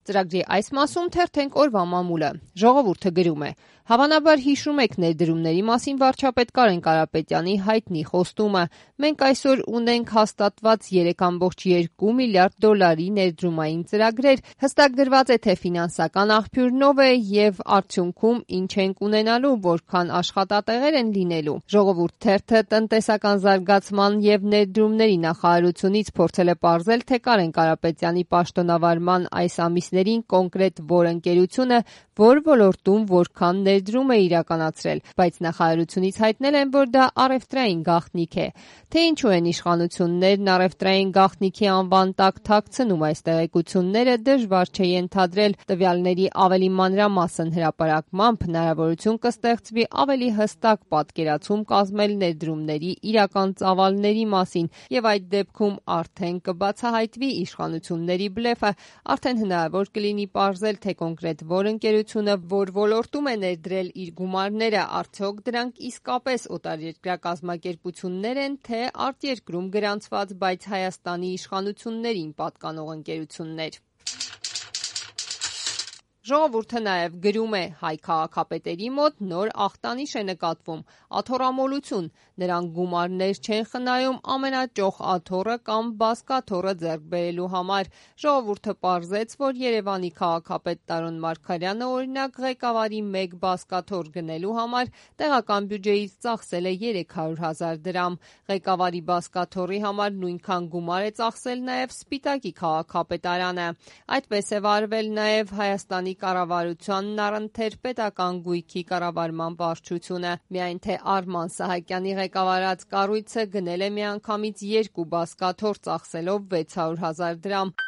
Ծրագրի այս մասում թերթենք օրվա մամուլը։ Ժողովուրդը գրում է. Հավանաբար հիշում եք ներդրումների մասին վարչապետ Կարեն Կարապետյանի հայտնի խոստումը. մենք այսօր ունենք հաստատված 3,2 միլիարդ դոլարի ներդրումային ծրագրեր, հստակ գրված է, թե ֆինանսական աղբյուրն է եւ արդյունքում ինչ ենք ունենալու, որքան աշխատատեղեր են լինելու։ Ժողովուրդ թերթը տնտեսական զարգացման եւ ներդրումների նախարարությունից փորձել է պարզել, թե Կարեն Կարապետյանի պաշտոնավարման այս ամիսներին կոնկրետ որ ընկերությունը որ ոլորտում որքան ներդրում է իրականացրել, բայց նախարարությունից հայտնել են, որ դա առևտրային գաղտնիք է։ Թե ինչու են իշխանություններն առևտրային գաղտնիքի անվան տակ թաքցնում այս տեղեկությունները, դժվար չէ ենթադրել։ Տվյալների ավելի մանրամասն հրապարակմամբ հնարավորություն կստեղծվի ավելի հստակ պատկերացում կազմել ներդրումների իրական ծավալների մասին, եւ այդ դեպքում արդեն կբացահայտվի իշխանությունների բլեֆը, արդեն հնարավոր կլինի պարզել, թե կոնկրետ որ ընկերությունը որ ոլորտում է ներդրել իր գումարները, արդյոք դրանք իսկապես օտարերկրյա կազմակերպություններ են, թե արտերկրում գրանցված, բայց Հայաստանի իշխանություններին պատկանող ընկերություններ։ Ժողովուրդը նաև գրում է. հայ քաղաքապետերի մոտ նոր ախտանիշ է նկատվում՝ աթոռամոլություն։ Նրանք գումարներ չեն խնայում ամենաճոխ աթոռը կամ բազկաթոռը ձեռք բերելու համար։ Ժողովուրդը պարզեց, որ Երևանի քաղաքապետ Տարոն Մարգարյանը, օրինակ, ղեկավարի մեկ բազկաթոռ գնելու համար տեղական բյուջեից ծախսել է 300,000 դրամ։ Ղեկավարի բազկաթոռի համար նույնքան գումար է ծախսել նաև Սպիտակի քաղաքապետարանը։ Այդպես է վարվել նաև Հայաստանի կառավարությանն առընթեր պետական գույքի կառավարման վարչությունը։ Միայն թե Արման Սահակյանի ղեկավարած կառույցը գնել է միանգամից 2 բազկաթոռ ծախսելով 600,000 դրամ։